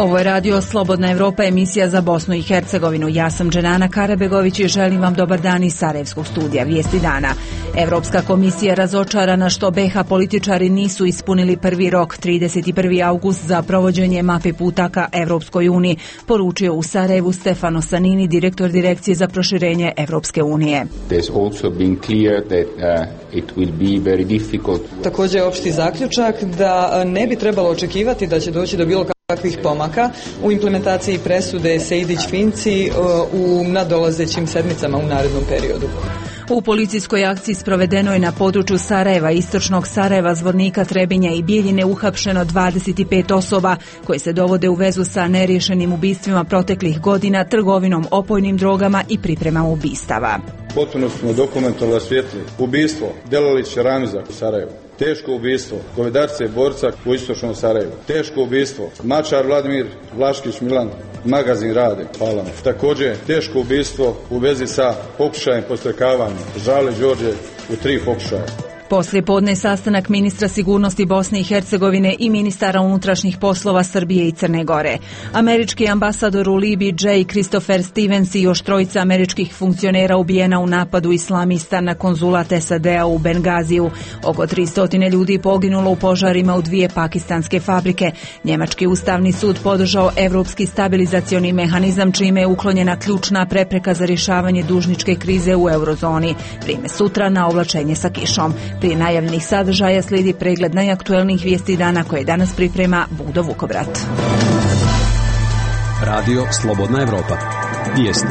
Ovo je radio Slobodna Evropa, emisija za Bosnu i Hercegovinu. Ja sam Dženana Karabegović i želim vam dobar dan iz Sarajevskog studija Vijesti dana. Evropska komisija razočarana što BiH političari nisu ispunili prvi rok 31. august za provođenje mape puta ka Evropskoj uniji, poručio u Sarajevu Stefano Sanini, direktor direkcije za proširenje Evropske unije. Također je opšti zaključak da ne bi trebalo očekivati da će doći do bilo kakvih pomaka u implementaciji presude Sejdić-Finci u nadolazećim sedmicama u narednom periodu. U policijskoj akciji sprovedenoj na području Sarajeva, istočnog Sarajeva, Zvornika, Trebinja i Bijeljine upamćeno 25 osoba koje se dovode u vezu sa neriješenim ubistvima proteklih godina, trgovinom opojnim drogama i pripremama ubistava. Potpuno smo dokumentalno rasvijetlili ubistvo Delalića Ramiza u Sarajevu, teško ubistvo Govedarce Borca u istočnom Sarajevu, teško ubistvo Mačar Vladimir, Vlaškić Milan, Magazin Rade, hvala. Također teško ubistvo u vezi sa pokušajem podstrekavanja Žale Đorđe u 3 pokušaja. Poslije podne sastanak ministra sigurnosti Bosne i Hercegovine i ministara unutrašnjih poslova Srbije i Crne Gore. Američki ambasador u Libiji J. Christopher Stevens i još trojica američkih funkcionera ubijena u napadu islamista na konzulat SAD-a u Bengaziju. Oko 300 ljudi poginulo u požarima u 2 pakistanske fabrike. Njemački ustavni sud podržao evropski stabilizacioni mehanizam, čime je uklonjena ključna prepreka za rješavanje dužničke krize u eurozoni. Vrijeme sutra na oblačenje sa kišom. Prije najavljenih sadržaja slijedi pregled najaktuelnijih vijesti dana koje danas priprema Budo Vukobrat. Radio Slobodna Evropa. Vijesti.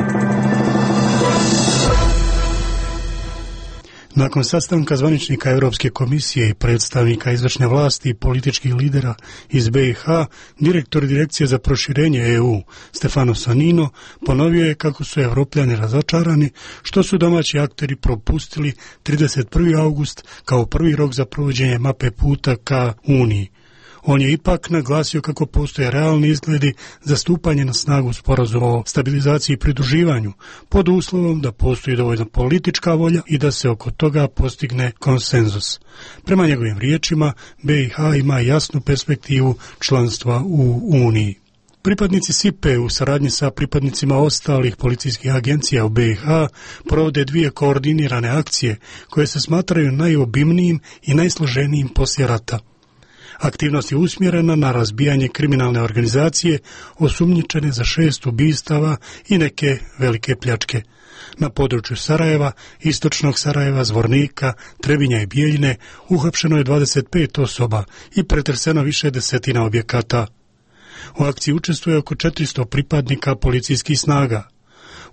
Nakon sastanka zvaničnika Europske komisije i predstavnika izvršne vlasti i političkih lidera iz BiH, direktor direkcije za proširenje EU Stefano Sanino ponovio je kako su Evropljani razočarani što su domaći akteri propustili 31. august kao prvi rok za provođenje mape puta ka Uniji. On je ipak naglasio kako postoje realni izgledi za stupanje na snagu sporazuma o stabilizaciji i pridruživanju, pod uslovom da postoji dovoljna politička volja i da se oko toga postigne konsenzus. Prema njegovim riječima, BiH ima jasnu perspektivu članstva u Uniji. Pripadnici SIPE u saradnji sa pripadnicima ostalih policijskih agencija u BiH provode 2 koordinirane akcije koje se smatraju najobimnijim i najsloženijim poslije rata. Aktivnost je usmjerena na razbijanje kriminalne organizacije osumnjičene za 6 ubistava i neke velike pljačke. Na području Sarajeva, istočnog Sarajeva, Zvornika, Trebinja i Bijeljine uhapšeno je 25 osoba i pretreseno više desetina objekata. U akciji učestvuje oko 400 pripadnika policijskih snaga.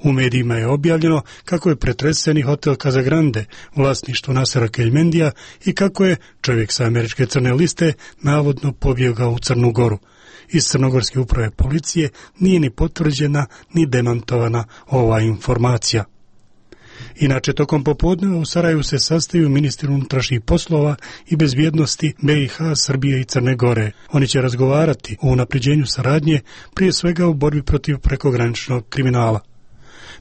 U medijima je objavljeno kako je pretreseni hotel Casagrande, vlasništvo Nasera Keljmendija, i kako je čovjek sa američke crne liste navodno pobjegao u Crnu Goru. Iz Crnogorske uprave policije nije ni potvrđena ni demantovana ova informacija. Inače, tokom popodneva u Sarajevu se sastaju ministri unutrašnjih poslova i bezbjednosti BiH, Srbije i Crne Gore. Oni će razgovarati o unapređenju saradnje, prije svega u borbi protiv prekograničnog kriminala.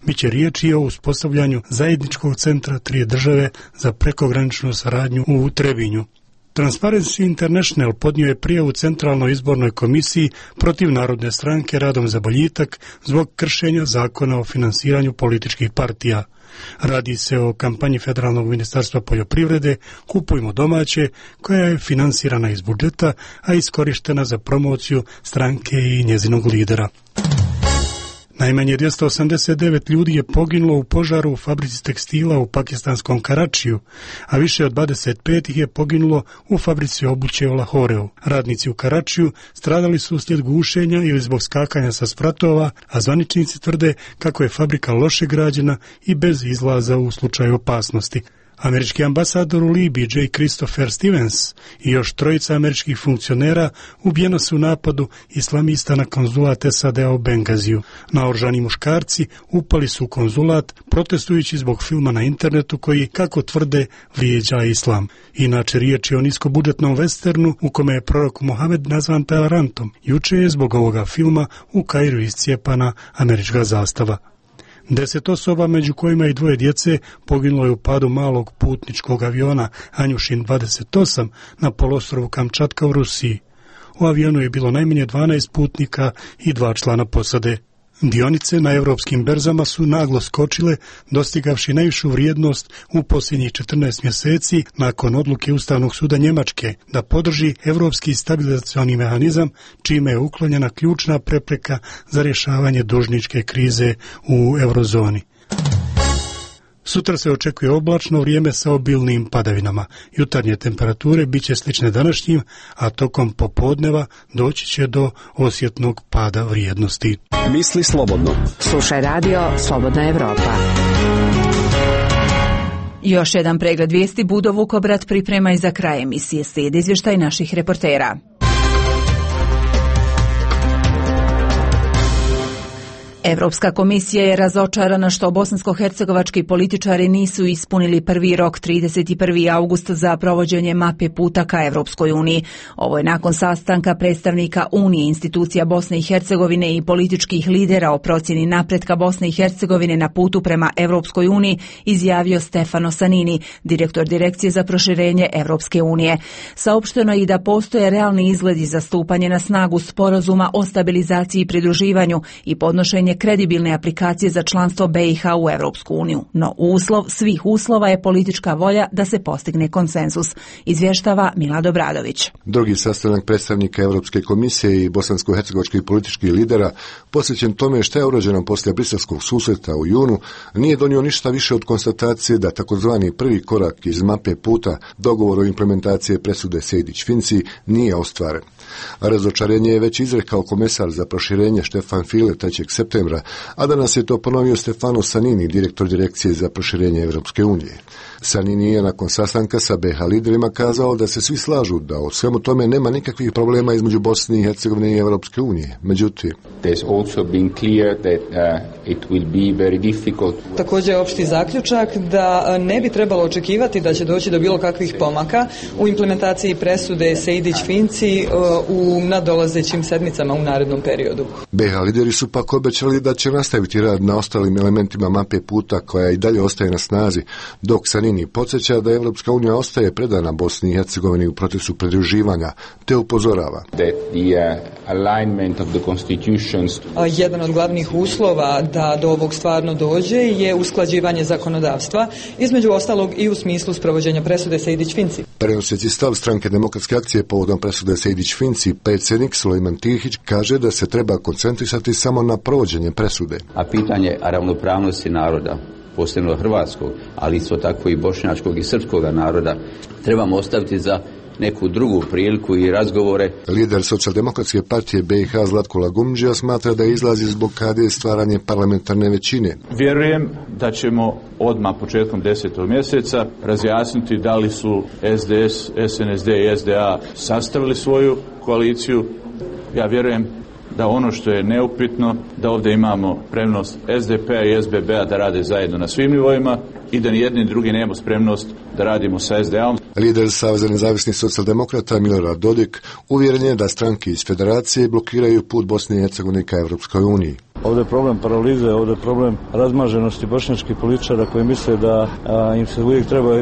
Biće riječi o uspostavljanju zajedničkog centra 3 države za prekograničnu saradnju u Trebinju. Transparency International podnio je prijavu Centralnoj izbornoj komisiji protiv Narodne stranke Radom za boljitak zbog kršenja zakona o finansiranju političkih partija. Radi se o kampanji Federalnog ministarstva poljoprivrede Kupujmo domaće, koja je finansirana iz budžeta, a iskorištena za promociju stranke i njezinog lidera. Najmanje 289 ljudi je poginulo u požaru u fabrici tekstila u pakistanskom Karačiju, a više od 25 ih je poginulo u fabrici obuće u Lahoreu. Radnici u Karačiju stradali su uslijed gušenja ili zbog skakanja sa spratova, a zvaničnici tvrde kako je fabrika loše građena i bez izlaza u slučaju opasnosti. Američki ambasador u Libiji J. Christopher Stevens i još trojica američkih funkcionera ubijeno su u napadu islamista na konzulat SAD-a u Bengaziju. Naoružani muškarci upali su u konzulat protestujući zbog filma na internetu koji, kako tvrde, vrijeđa islam. Inače, riječ je o niskobudžetnom westernu u kome je prorok Mohamed nazvan Pelarantom. Juče je zbog ovoga filma u Kairu iscijepana američka zastava. 10 osoba, među kojima i 2 djece, poginulo je u padu malog putničkog aviona Anjušin 28 na poluostrvu Kamčatka u Rusiji. U avionu je bilo najmanje 12 putnika i 2 člana posade. Dionice na europskim berzama su naglo skočile, dostigavši najvišu vrijednost u posljednjih 14 mjeseci nakon odluke Ustavnog suda Njemačke da podrži europski stabilizacioni mehanizam, čime je uklonjena ključna prepreka za rješavanje dužničke krize u eurozoni. Sutra se očekuje oblačno vrijeme sa obilnim padavinama. Jutarnje temperature bit će slične današnjim, a tokom popodneva doći će do osjetnog pada vrijednosti. Misli slobodno. Slušaj radio Slobodna Evropa. Još jedan pregled vijesti Budo Vukobrat priprema i za kraj emisije. Slijedi izvještaj naših reportera. Evropska komisija je razočarana što bosansko-hercegovački političari nisu ispunili prvi rok 31. august za provođenje mape puta ka Evropskoj uniji. Ovo je nakon sastanka predstavnika Unije, institucija Bosne i Hercegovine i političkih lidera o procjeni napretka Bosne i Hercegovine na putu prema Evropskoj uniji izjavio Stefano Sanini, direktor Direkcije za proširenje Evropske unije. Saopšteno je i da postoje realni izgledi za stupanje na snagu sporazuma o stabilizaciji i pridruživanju i podnošenje kredibilne aplikacije za članstvo BiH u Evropsku uniju. No uslov svih uslova je politička volja da se postigne konsenzus, izvještava Milad Obradović. Drugi sastanak predstavnika Europske komisije i bosansko-hercegovačkih političkih lidera, posvećen tome što je urađeno poslije briselskog susreta u junu, nije donio ništa više od konstatacije da takozvani prvi korak iz mape puta, dogovor o implementaciji presude Sejdić-Finci, nije ostvaren. Razočarenje je već izrekao komesar za proširenje Štefan File 3. septembra, a danas je to ponovio Stefano Sanini, direktor Direkcije za proširenje Evropske unije. Sanini je nakon sastanka sa BiH liderima kazao da se svi slažu da o svemu tome nema nikakvih problema između Bosne i Hercegovine i Evropske unije. Međutim, također je opšti zaključak da ne bi trebalo očekivati da će doći do bilo kakvih pomaka u implementaciji presude Sejdić-Finci u nadolazećim sedmicama u narednom periodu. BiH lideri su pak obećali da će nastaviti rad na ostalim elementima mape puta koja i dalje ostaje na snazi, dok Sanini podsjeća da Evropska unija ostaje predana Bosni i Hercegovini u procesu pridruživanja, te upozorava. Jedan od glavnih uslova da do ovog stvarno dođe je usklađivanje zakonodavstva, između ostalog i u smislu sprovođenja presude Sejdić-Finci. Prenoseći stav Stranke demokratske akcije povodom presude Sejdić-Finci, predsjednik Sulejman Tihić kaže da se treba koncentrisati samo na provođenje presude. A pitanje ravnopravnosti naroda, posebno hrvatskog, ali isto tako i bošnjačkog i srpskog naroda, trebamo ostaviti za neku drugu priliku i razgovore. Lider Socijaldemokratske partije BiH Zlatko Lagumdžija smatra da izlazi iz blokade stvaranje parlamentarne većine. Vjerujem da ćemo odmah početkom 10. mjeseca razjasniti da li su SDS, SNSD i SDA sastavili svoju koaliciju. Ja vjerujem da ono što je neupitno, da ovdje imamo spremnost SDP-a i SBB-a da rade zajedno na svim nivoima i da ni jedni ni drugi nemamo spremnost da radimo sa SDA-om. Lider Saveza nezavisnih socijaldemokrata Milorad Dodik uvjeren je da stranke iz federacije blokiraju put Bosne i Hercegovine ka Evropskoj uniji. Ovdje je problem paralize, ovdje je problem razmaženosti bošnjačkih političara koji misle da im se uvijek treba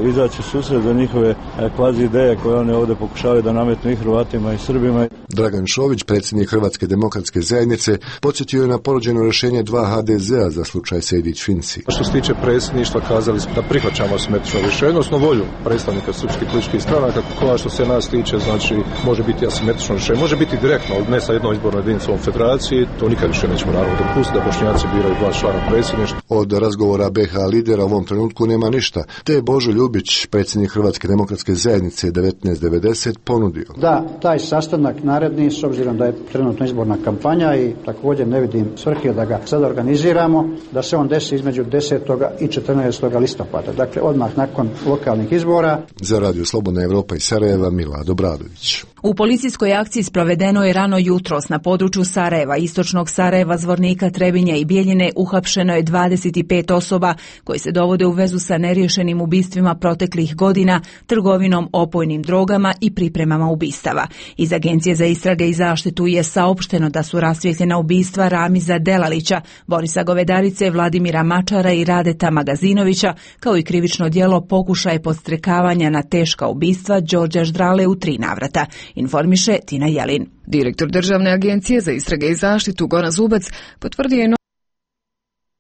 izaći u susret za njihove kvazi ideje koje one ovdje pokušavaju da nametnu i Hrvatima i Srbima. Dragan Šović, predsjednik Hrvatske demokratske zajednice, podsjetio je na ponuđeno rješenje 2 HDZ-a za slučaj Sejdić-Finci. Što se tiče predsjedništva, kazali smo da prihvaćamo asimetrično rješenje, odnosno volju predstavnika srpskih političkih stranaka, kako što se nas tiče, znači može biti asimetrično rješenje, može biti direktno, ne sa jednom izbornom jedinicom federaciji, to nikad više nećemo naravno dopustiti da Bošnjaci biraju 2 člana predsjedništva. Od razgovora BiH lidera u ovom trenutku nema ništa, te je Božo Ljubić, predsjednik Hrvatske demokratske zajednice 1990, ponudio. Da, taj sastanak naredni, s obzirom da je trenutno izborna kampanja i također ne vidim svrhe da ga sad organiziramo, da se on desi između 10. i 14. listopada, dakle odmah nakon lokalnih izbora. Za Radio Slobodna Evropa iz Sarajeva, Milad Obradović. U policijskoj akciji sprovedeno je rano jutros na području Sarajeva, istočnog Sarajeva, Zvornika, Trebinja i Bijeljine uhapšeno je 25 osoba koji se dovode u vezu sa neriješenim ubistvima proteklih godina, trgovinom opojnim drogama i pripremama ubistava. Iz Agencije za istrage i zaštitu je saopšteno da su rasvijetljena ubistva Ramiza Delalića, Borisa Govedarice, Vladimira Mačara i Radeta Magazinovića, kao i krivično djelo pokušaj podstrekavanja na teška ubistva Đorđa Ždrale u 3 navrata. informiše Tina Jelin. Direktor Državne agencije za istrage i zaštitu Goran Zubac potvrdio je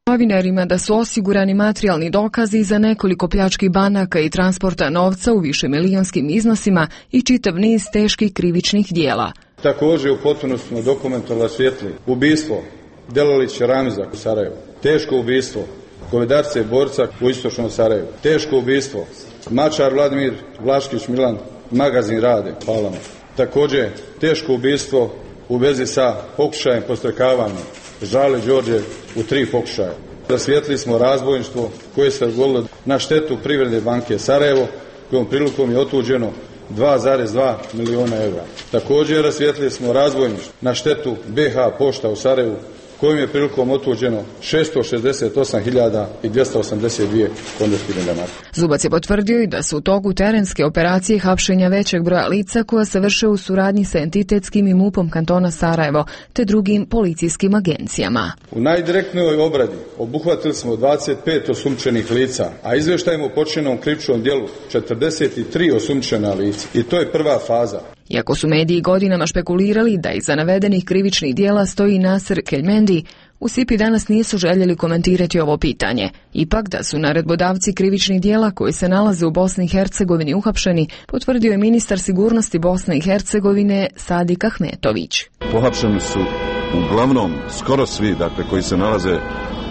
novinarima da su osigurani materijalni dokazi za nekoliko pljačkih banaka i transporta novca u višemilijonskim iznosima i čitav niz teških krivičnih dijela. Također u potpunosti smo dokumentarno rasvijetlili ubistvo Delalića Ramiza u Sarajevu, teško ubistvo Govedarce Borca u istočnom Sarajevu, teško ubistvo Mačar Vladimir, Vlaškić Milan, Magazin Rade, Palama. Također teško ubistvo u vezi sa pokušajem podstrekavanja Žale Đorđe u 3 pokušaja. Rasvijetlili smo razbojništvo koje se dogodilo na štetu Privredne banke Sarajevo, kojom prilikom je otuđeno 2,2 milijuna eura. Također rasvijetlili smo razbojništvo na štetu BH Pošta u Sarajevu, kojim je prilikom otuđeno 668.282 konvertibilne marke. Zubac je potvrdio i da su u toku terenske operacije hapšenja većeg broja lica koja se vrše u suradnji sa entitetskim i MUP-om kantona Sarajevo te drugim policijskim agencijama. U najdirektnijoj obradi obuhvatili smo 25 osumnjičenih lica, a izvještajemo o počinjenom krivičnom djelu 43 osumnjičena lica. I to je prva faza. Iako su mediji godinama špekulirali da iza navedenih krivičnih dijela stoji Nasser Kelmendi, u SIP-i danas nisu željeli komentirati ovo pitanje. Ipak da su naredbodavci krivičnih dijela koji se nalaze u Bosni i Hercegovini uhapšeni, potvrdio je ministar sigurnosti Bosne i Hercegovine Sadik Ahmetović. Pohapšeni su uglavnom skoro svi, koji se nalaze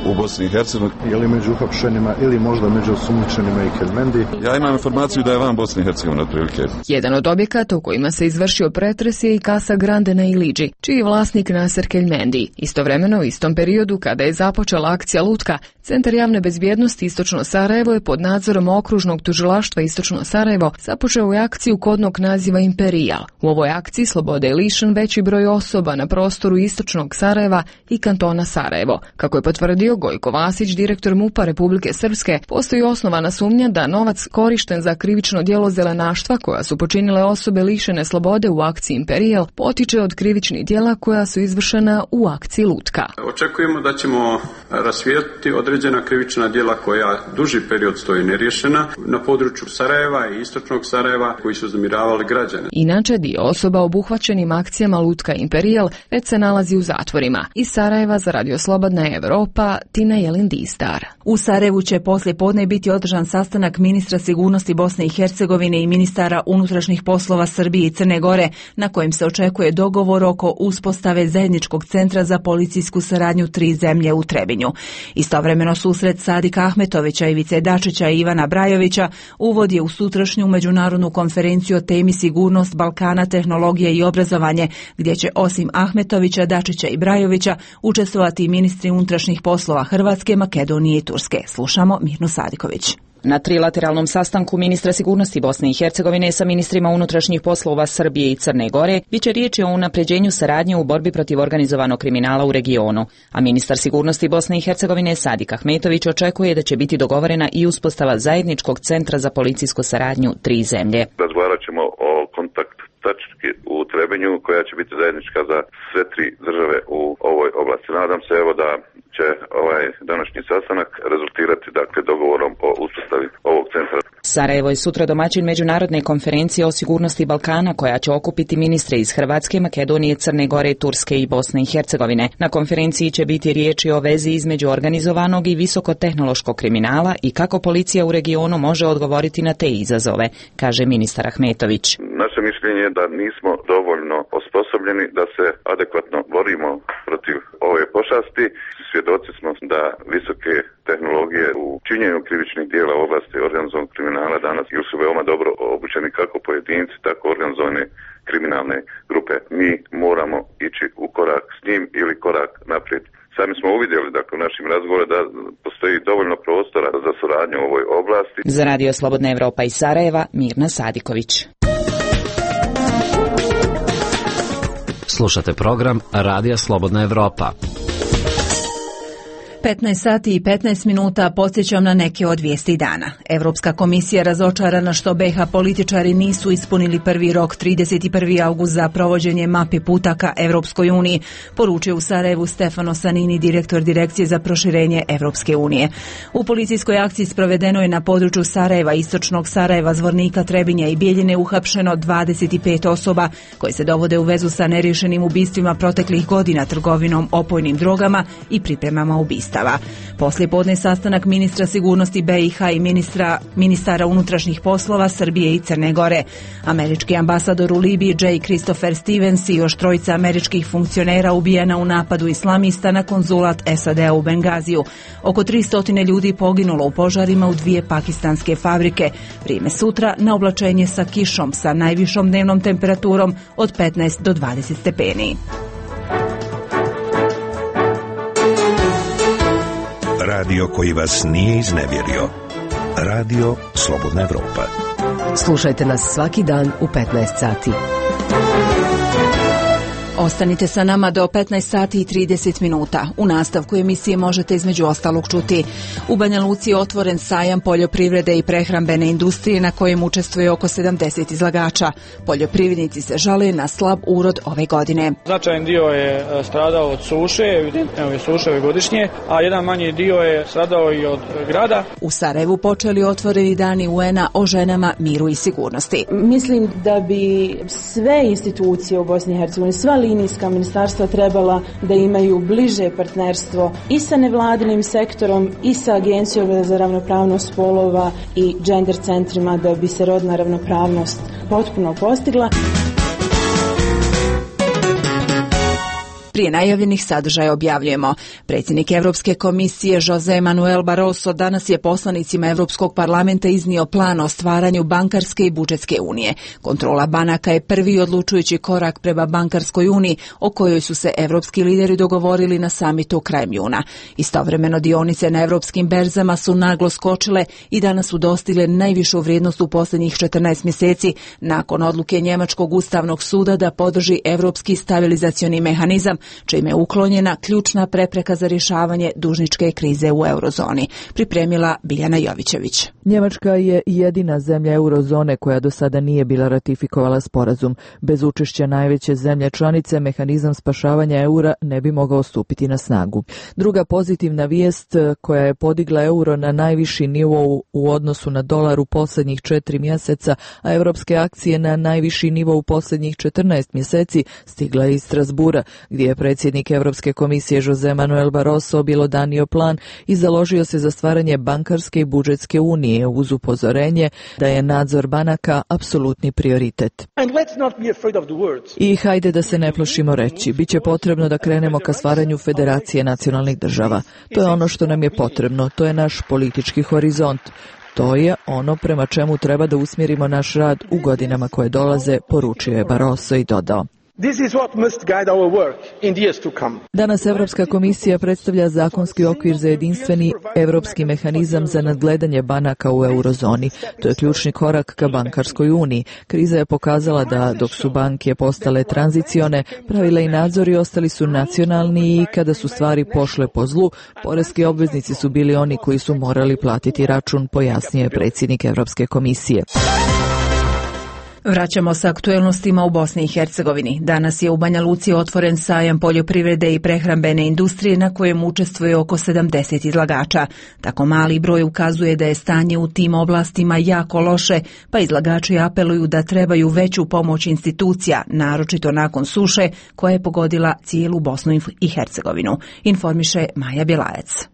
u Bosni i Hercegovini. Je li među uhapšenima ili možda među osumnjičenima i Kelmendi? Ja imam informaciju da je van Bosne i Hercegovine otprilike. Jedan od objekata u kojima se izvršio pretres je i Casa Grande na Iliđi, čiji je vlasnik Nasser Kelmendi. Istovremeno, u istom periodu kada je započela akcija Lutka, Centar javne bezbjednosti Istočno Sarajevo je pod nadzorom okružnog tužilaštva Istočno Sarajevo započeo je akciju kodnog naziva Imperijal. U ovoj akciji slobode je lišen veći broj osoba na prostoru Istočnog Sarajeva i kantona Sarajevo. Kako je potvrdio Gojko Vasić, direktor MUP-a Republike Srpske, postoji osnovana sumnja da novac korišten za krivično djelo zelenaštva koja su počinile osobe lišene slobode u akciji Imperijal potiče od krivičnih djela koja su izvršena u akciji Lutka. Očekujemo da ćemo rasvijetliti određena krivična djela koja duži period stoji neriješena na području Sarajeva i Istočnog Sarajeva koji su uznemiravali građane. Inače, dio osoba obuhvaćenim akcijama Lutka i Imperijal već se nalazi u zatvorima. Iz Sarajeva za Radio Slobodna Evropa, Tina Jelin Distar. U Sarajevu će poslije podne biti održan sastanak ministra sigurnosti Bosne i Hercegovine i ministara unutrašnjih poslova Srbije i Crne Gore, na kojem se očekuje dogovor oko uspostave zajedničkog centra za policijsku saradnju 3 zemlje u Trebinju. Istovremeno susret Sadika Ahmetovića, Ivice Dačića i Ivana Brajovića uvod je u sutrašnju međunarodnu konferenciju o temi sigurnost Balkana, tehnologije i obrazovanje, gdje će osim Ahmetovića, Dačića i Brajovića učestvovati i ministri unutrašnjih poslova Hrvatske, Makedonije i Turske. Slušamo Mirnu Sadiković. Na trilateralnom sastanku ministra sigurnosti Bosne i Hercegovine sa ministrima unutrašnjih poslova Srbije i Crne Gore biće riječi o unapređenju saradnje u borbi protiv organizovanog kriminala u regionu, a ministar sigurnosti Bosne i Hercegovine Sadik Ahmetović očekuje da će biti dogovorena i uspostava zajedničkog centra za policijsku saradnju 3 zemlje. Razgovarat ćemo o kontakt tački u Trebinju koja će biti zajednička za sve 3 države u ovoj oblasti. Nadam se da će ovaj današnji sastanak rezultirati dogovorom o uspostavi ovog centra. Sarajevo je sutra domaćin međunarodne konferencije o sigurnosti Balkana koja će okupiti ministre iz Hrvatske, Makedonije, Crne Gore, Turske i Bosne i Hercegovine. Na konferenciji će biti riječi o vezi između organizovanog i visokotehnološkog kriminala i kako policija u regionu može odgovoriti na te izazove, kaže ministar Ahmetović. Naše mišljenje je da nismo dovoljno osposobljeni da se adekvatno borimo protiv ove pošasti. Svjedoci smo da visoke tehnologije u činjenju krivičnih djela u oblasti organizovanog kriminala danas ili su veoma dobro obučeni kako pojedinci, tako organizovane kriminalne grupe. Mi moramo ići u korak s njim ili korak naprijed. Sami smo uvidjeli u našim razgovorima da postoji dovoljno prostora za suradnju u ovoj oblasti. Za Radio Slobodna Evropa iz Sarajeva, Mirna Sadiković. Slušate program Radija Slobodna Evropa. 15 sati i 15 minuta podsjećam na neke od vijesti dana. Evropska komisija razočarana što BiH političari nisu ispunili prvi rok 31. august za provođenje mape puta ka Evropskoj uniji, poručio u Sarajevu Stefano Sanini, direktor direkcije za proširenje Evropske unije. U policijskoj akciji sprovedeno je na području Sarajeva, istočnog Sarajeva, Zvornika, Trebinja i Bijeljine uhapšeno 25 osoba koje se dovode u vezu sa neriješenim ubistvima proteklih godina, trgovinom opojnim drogama i pripremama ubistava. Poslijepodne sastanak ministra sigurnosti BiH i ministara unutrašnjih poslova Srbije i Crne Gore. Američki ambasador u Libiji J. Christopher Stevens i još trojica američkih funkcionera ubijena u napadu islamista na konzulat SAD-a u Bengaziju. Oko 300 ljudi poginulo u požarima u 2 pakistanske fabrike. Vrijeme sutra na oblačenje sa kišom sa najvišom dnevnom temperaturom od 15 do 20 stepeni. Radio koji vas nije iznevjerio. Radio Slobodna Evropa. Slušajte nas svaki dan u 15 sati. Ostanite sa nama do 15 sati i 30 minuta. U nastavku emisije možete između ostalog čuti: u Banja Luci je otvoren sajam poljoprivrede i prehrambene industrije na kojem učestvuje oko 70 izlagača. Poljoprivrednici se žale na slab urod ove godine. Značajan dio je stradao od suše, evidentne ove suše godišnje, a jedan manji dio je stradao i od grada. U Sarajevu počeli otvoreni dani UN-a o ženama, miru i sigurnosti. Mislim da bi sve institucije u Bosni i Hercegovini, sva linijska ministarstva trebala da imaju bliže partnerstvo i sa nevladinim sektorom i sa Agencijom za ravnopravnost spolova i gender centrima da bi se rodna ravnopravnost potpuno postigla. Prije najavljenih sadržaja objavljujemo. Predsjednik Evropske komisije José Manuel Barroso danas je poslanicima Evropskog parlamenta iznio plan o stvaranju bankarske i budžetske unije. Kontrola banaka je prvi odlučujući korak prema bankarskoj uniji o kojoj su se evropski lideri dogovorili na samitu krajem juna. Istovremeno dionice na evropskim berzama su naglo skočile i danas su dostigle najvišu vrijednost u posljednjih 14 mjeseci nakon odluke Njemačkog ustavnog suda da podrži evropski stabilizacioni mehanizam, čime je uklonjena ključna prepreka za rješavanje dužničke krize u eurozoni. Pripremila Biljana Jovićević. Njemačka je jedina zemlja eurozone koja do sada nije bila ratifikovala sporazum. Bez učešća najveće zemlje članice, mehanizam spašavanja eura ne bi mogao stupiti na snagu. Druga pozitivna vijest koja je podigla euro na najviši nivo u odnosu na dolar u posljednjih 4 mjeseca, a evropske akcije na najviši nivo u posljednjih 14 mjeseci, stigla je iz Strasbura, gdje je predsjednik Evropske komisije José Manuel Barroso objelodanio plan i založio se za stvaranje bankarske i budžetske unije uz upozorenje da je nadzor banaka apsolutni prioritet. I hajde da se ne plašimo reći, bit će potrebno da krenemo ka stvaranju federacije nacionalnih država. To je ono što nam je potrebno, to je naš politički horizont. To je ono prema čemu treba da usmjerimo naš rad u godinama koje dolaze, poručio je Barroso i dodao. Danas Evropska komisija predstavlja zakonski okvir za jedinstveni evropski mehanizam za nadgledanje banaka u eurozoni. To je ključni korak ka bankarskoj uniji. Kriza je pokazala da dok su banke postale tranzicione, pravila i nadzori ostali su nacionalni i kada su stvari pošle po zlu, poreski obveznici su bili oni koji su morali platiti račun, pojasnio je predsjednik Evropske komisije. Vraćamo se aktuelnostima u Bosni i Hercegovini. Danas je u Banja Luci otvoren sajam poljoprivrede i prehrambene industrije na kojem učestvuje oko 70 izlagača. Tako mali broj ukazuje da je stanje u tim oblastima jako loše, pa izlagači apeluju da trebaju veću pomoć institucija, naročito nakon suše koja je pogodila cijelu Bosnu i Hercegovinu, informiše Maja Bjelajac.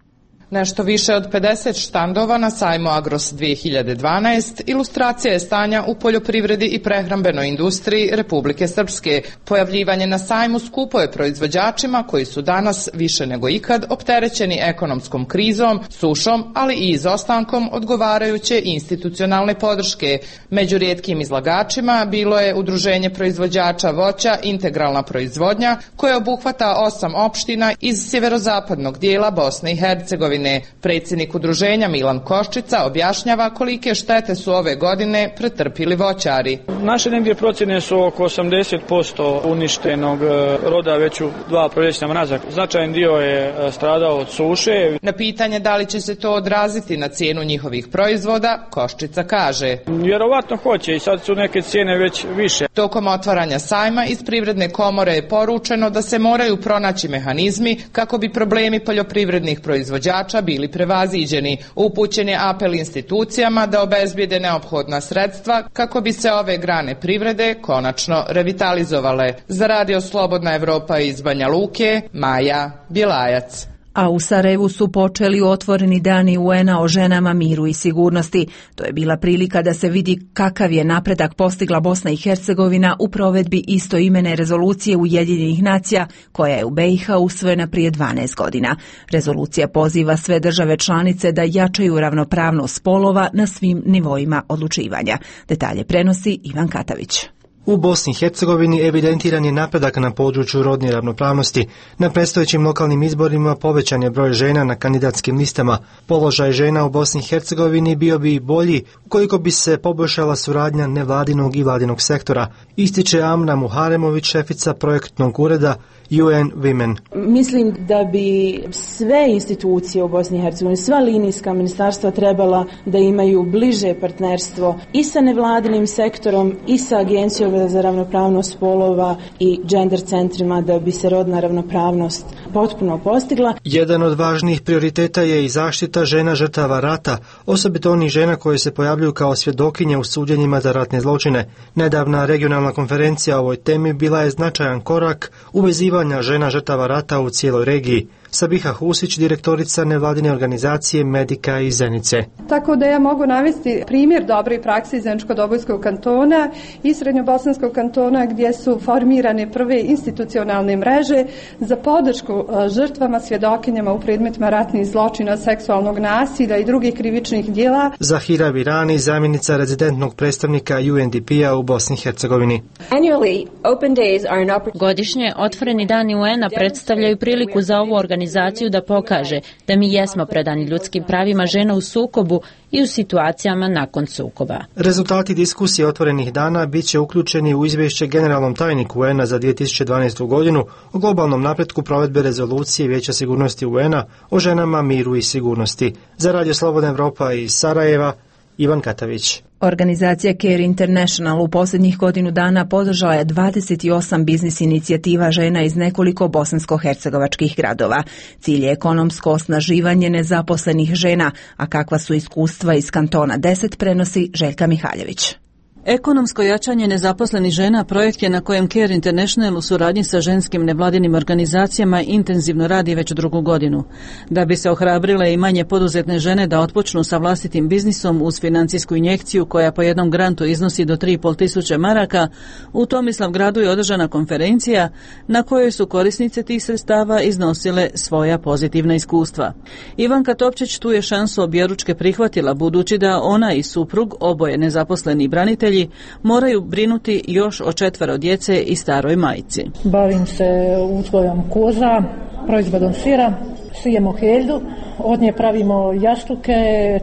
Nešto više od 50 štandova na sajmu Agros 2012 ilustracija je stanja u poljoprivredi i prehrambenoj industriji Republike Srpske. Pojavljivanje na sajmu skupo je proizvođačima koji su danas više nego ikad opterećeni ekonomskom krizom, sušom, ali i izostankom odgovarajuće institucionalne podrške. Među rijetkim izlagačima bilo je Udruženje proizvođača voća Integralna proizvodnja, koje obuhvata 8 opština iz sjeverozapadnog dijela Bosne i Hercegovine. Hercegovine. Predsjednik udruženja Milan Koščica objašnjava kolike štete su ove godine pretrpili voćari. Naše negdje procjene su oko 80% uništenog roda već u 2 proljeća nazad. Značajan dio je stradao od suše. Na pitanje da li će se to odraziti na cijenu njihovih proizvoda, Koščica kaže: vjerovatno hoće i sad su neke cijene već više. Tokom otvaranja sajma iz Privredne komore je poručeno da se moraju pronaći mehanizmi kako bi problemi poljoprivrednih proizvođača bili prevaziđeni. Upućen je apel institucijama da obezbijede neophodna sredstva kako bi se ove grane privrede konačno revitalizovale. Za Radio Slobodna Evropa iz Banja Luke, Maja Bjelajac. A u Sarajevu su počeli otvoreni dani UN-a o ženama, miru i sigurnosti. To je bila prilika da se vidi kakav je napredak postigla Bosna i Hercegovina u provedbi istoimene rezolucije Ujedinjenih nacija koja je u BiH usvojena prije 12 godina. Rezolucija poziva sve države članice da jačaju ravnopravnost spolova na svim nivoima odlučivanja. Detalje prenosi Ivan Katavić. U Bosni i Hercegovini evidentiran je napredak na području rodne ravnopravnosti. Na predstojećim lokalnim izborima povećan je broj žena na kandidatskim listama. Položaj žena u Bosni i Hercegovini bio bi bolji ukoliko bi se poboljšala suradnja nevladinog i vladinog sektora, ističe Amna Muharemović, šefica projektnog ureda UN Women. Mislim da bi sve institucije u Bosni i Hercegovini, sva linijska ministarstva trebala da imaju bliže partnerstvo i sa nevladinim sektorom i sa Agencijom za ravnopravnost spolova i gender centrima da bi se rodna ravnopravnost potpuno postigla. Jedan od važnijih prioriteta je i zaštita žena žrtava rata, osobito onih žena koje se pojavljuju kao svjedokinje u suđenjima za ratne zločine. Nedavna regionalna konferencija o ovoj temi bila je značajan korak u vezivanja žena žrtava rata u cijeloj regiji. Sabiha Husić, direktorica nevladine organizacije Medika iz Zenice. Tako da ja mogu navesti primjer dobre prakse iz Zeničko-Dobojskog kantona i Srednjobosanskog kantona gdje su formirane prve institucionalne mreže za podršku žrtvama, svjedokinjama u predmetima ratnih zločina, seksualnog nasilja i drugih krivičnih djela. Zahira Virani, zamjenica rezidentnog predstavnika UNDP-a u Bosni i Hercegovini. Godišnje otvoreni dani UN-a predstavljaju priliku za ovu organizaciju da pokaže da mi jesmo predani ljudskim pravima žena u sukobu i u situacijama nakon sukoba. Rezultati diskusije otvorenih dana bit će uključeni u izvješće generalnom tajniku UN-a za 2012. godinu o globalnom napretku provedbe rezolucije Vijeća sigurnosti UN-a o ženama, miru i sigurnosti. Za Radio Slobodna Evropa iz Sarajeva, Ivan Katavić. Organizacija Care International u posljednjih godinu dana podržala je 28 biznis inicijativa žena iz nekoliko bosansko-hercegovačkih gradova. Cilj je ekonomsko osnaživanje nezaposlenih žena, a kakva su iskustva iz kantona 10 prenosi Željka Mihaljević. Ekonomsko jačanje nezaposlenih žena projekt je na kojem Care International u suradnji sa ženskim nevladinim organizacijama intenzivno radi već 2. godinu. Da bi se ohrabrile i manje poduzetne žene da otpočnu sa vlastitim biznisom uz financijsku injekciju koja po jednom grantu iznosi do 3.500 maraka, u Tomislavgradu je održana konferencija na kojoj su korisnice tih sredstava iznosile svoja pozitivna iskustva. Ivanka Topčić tu je šansu objeručke prihvatila budući da ona i suprug, oboje nezaposleni branitelji, moraju brinuti još o 4 djece i staroj majci. Bavim se uzgojom koza, proizvodom sira, sijemo helju, od nje pravimo jastuke,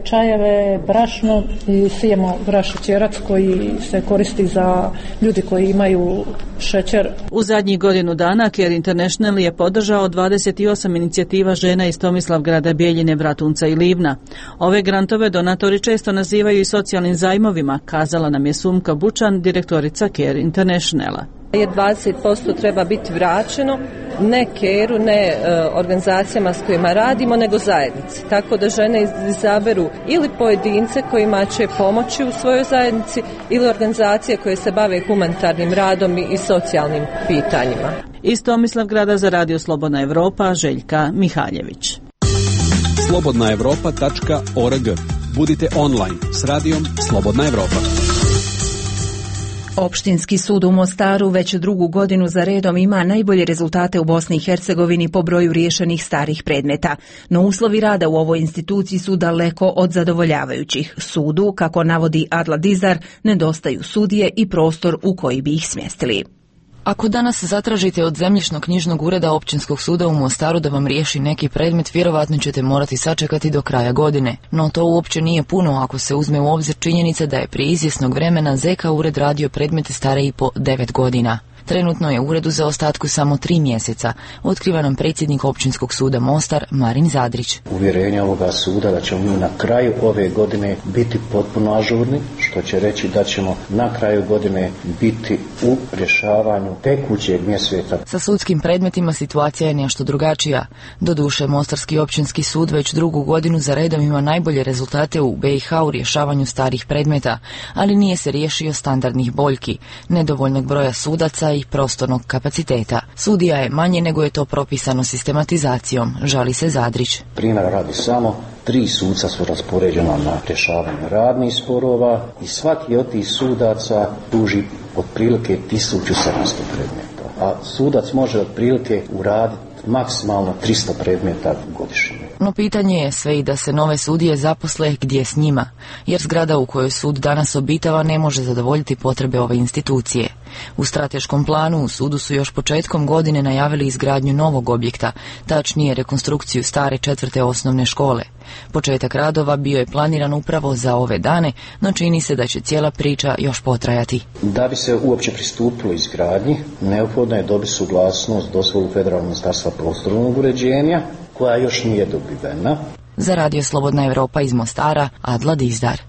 čajeve, brašno i sijemo brašćerac koji se koristi za ljudi koji imaju šećer. U zadnjih godinu dana Care International je podržao 28 inicijativa žena iz Tomislavgrada, Bijeljine, Bratunca i Livna. Ove grantove donatori često nazivaju i socijalnim zajmovima, kazala nam je Sumka Bučan, direktorica Care Internationala. 20% treba biti vraćeno, ne Care-u, ne organizacijama s kojima radimo, nego zajednici. Tako da žene izaberu ili pojedince kojima će pomoći u svojoj zajednici ili organizacije koje se bave humanitarnim radom i socijalnim pitanjima. Iz Tomislavgrada za Radio Slobodna Evropa, Željka Mihaljević. slobodnaevropa.org. Budite online s radijom Slobodna Evropa. Opštinski sud u Mostaru već 2. godinu za redom ima najbolje rezultate u Bosni i Hercegovini po broju riješenih starih predmeta, no uslovi rada u ovoj instituciji su daleko od zadovoljavajućih. Sudu, kako navodi Adla Dizar, nedostaju sudije i prostor u koji bi ih smjestili. Ako danas zatražite od zemljišno-knjižnog ureda Općinskog suda u Mostaru da vam riješi neki predmet, vjerovatno ćete morati sačekati do kraja godine. No to uopće nije puno ako se uzme u obzir činjenica da je prije izvjesnog vremena ZK ured radio predmete stare i po 9 godina. Trenutno je uredu za ostatku samo 3 mjeseca, otkriva nam predsjednik Općinskog suda Mostar, Marin Zadrić. Uvjerenje ovoga suda da ćemo mi na kraju ove godine biti potpuno ažurni, što će reći da ćemo na kraju godine biti u rješavanju tekućeg mjeseca. Sa sudskim predmetima situacija je nešto drugačija. Doduše, Mostarski općinski sud već drugu godinu za redom ima najbolje rezultate u BiH u rješavanju starih predmeta, ali nije se riješio standardnih boljki, nedovoljnog broja sudaca i prostornog kapaciteta. Sudija je manje nego je to propisano sistematizacijom, žali se Zadrić. Primjer radi samo 3 suca su raspoređena na rješavanje radnih sporova i svaki od tih sudaca duži otprilike 1700 predmeta, a sudac može otprilike uraditi maksimalno 300 predmeta godišnje. No pitanje je sve i da se nove sudije zaposle gdje s njima, jer zgrada u kojoj sud danas obitava ne može zadovoljiti potrebe ove institucije. U strateškom planu u sudu su još početkom godine najavili izgradnju novog objekta, tačnije rekonstrukciju stare 4. osnovne škole. Početak radova bio je planiran upravo za ove dane, no čini se da će cijela priča još potrajati. Da bi se uopće pristupilo izgradnji, neophodno je dobiti suglasnost dozvolu Federalnog ministarstva prostornog uređenja, koja još nije dobivena. Za Radio Slobodna Evropa iz Mostara, Adla Dizdar.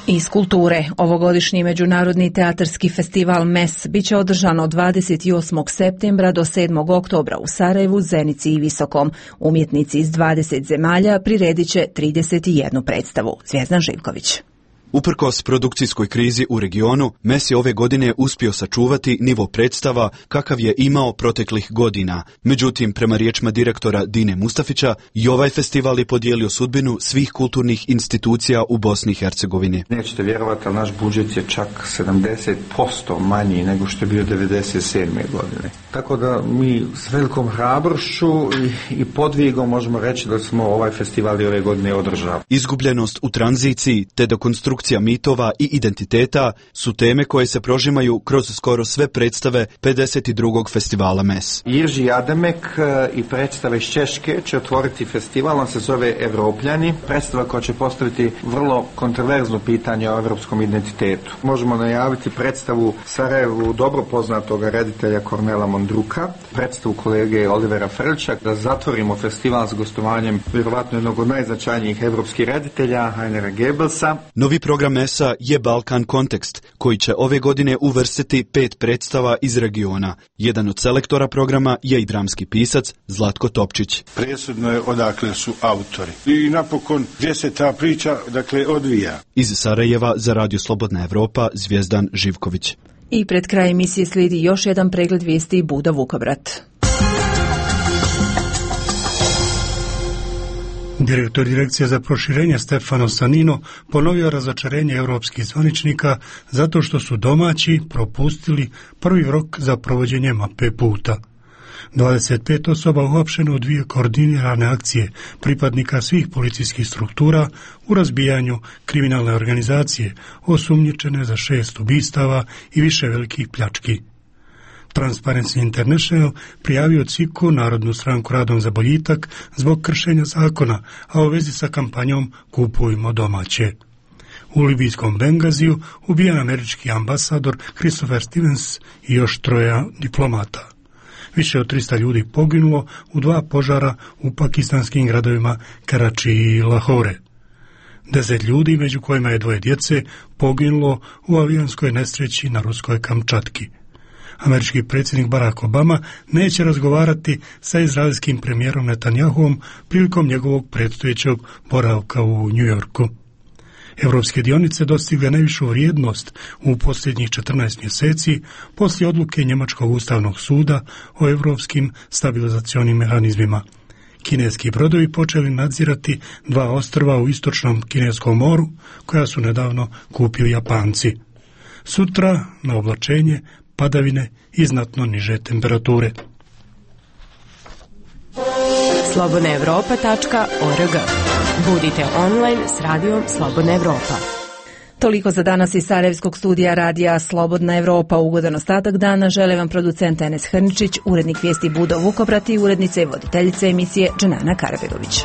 Iz kulture, ovogodišnji međunarodni teatarski festival MES biće održan od 28. septembra do 7. oktobra u Sarajevu, Zenici i Visokom. Umjetnici iz 20 zemalja priredit će 31 predstavu. Zvjezdan Živković. Uprkos produkcijskoj krizi u regionu, MES je ove godine uspio sačuvati nivo predstava kakav je imao proteklih godina. Međutim, prema riječima direktora Dine Mustafića, i ovaj festival je podijelio sudbinu svih kulturnih institucija u Bosni i Hercegovini. Nećete vjerovati, ali naš budžet je čak 70% manji nego što je bio 1997. godine. Tako da mi s velikom hrabrošću i podvigom možemo reći da smo ovaj festival i ove godine održali. Izgubljenost u tranziciji te dekonstrukcija mitova i identiteta su teme koje se prožimaju kroz skoro sve predstave 52. festivala MES. Jirži Ademek i predstave iz Češke će otvoriti festival, on se zove Evropljani, predstava koja će postaviti vrlo kontroverzno pitanje o evropskom identitetu. Možemo najaviti predstavu Sarajevu dobro poznatog reditelja Kornela Mondruka, predstavu kolege Olivera Frlča, da zatvorimo festival s gostovanjem vjerovatno jednog od najznačajnijih evropskih reditelja, Heinera Goebbelsa. Novi program MES-a je Balkan Kontekst, koji će ove godine uvrstiti 5 predstava iz regiona. Jedan od selektora programa je i dramski pisac Zlatko Topčić. Presudno je odakle su autori. I napokon gdje se ta priča odvija. Iz Sarajeva za Radio Slobodna Evropa, Zvjezdan Živković. I pred kraj emisije slijedi još jedan pregled vijesti Buda Vukobrat. Direktor Direkcije za proširenje Stefano Sanino ponovio razočarenje europskih zvaničnika zato što su domaći propustili prvi rok za provođenje mape puta. 25 osoba uhapšeno u 2 koordinirane akcije pripadnika svih policijskih struktura u razbijanju kriminalne organizacije, osumnjičene za 6 ubistava i više velikih pljački. Transparency International prijavio CIKU, Narodnu stranku Radom za boljitak, zbog kršenja zakona, a u vezi sa kampanjom Kupujmo domaće. U libijskom Bengaziju ubijen američki ambasador Christopher Stevens i još 3 diplomata. Više od 300 ljudi poginulo u 2 požara u pakistanskim gradovima Karači i Lahore. 10 ljudi, među kojima je 2 djece, poginulo u avionskoj nesreći na ruskoj Kamčatki. Američki predsjednik Barack Obama neće razgovarati sa izraelskim premijerom Netanjahuom prilikom njegovog predstojećeg boravka u New Yorku. Evropske dionice dostigle najvišu vrijednost u posljednjih 14 mjeseci poslije odluke Njemačkog ustavnog suda o evropskim stabilizacionim mehanizmima. Kineski brodovi počeli nadzirati 2 ostrva u istočnom Kineskom moru, koja su nedavno kupili Japanci. Sutra na oblačenje, padavine i znatno niže temperature. slobodnaevropa.org. Budite online s radijom Slobodna Evropa. Toliko za danas iz Sarajevskog studija radija Slobodna Evropa. Ugodan ostatak dana žele vam producent Enes Hrničić, urednik vijesti Budo Vukobrat i urednica i voditeljica emisije Dženana Karabegović.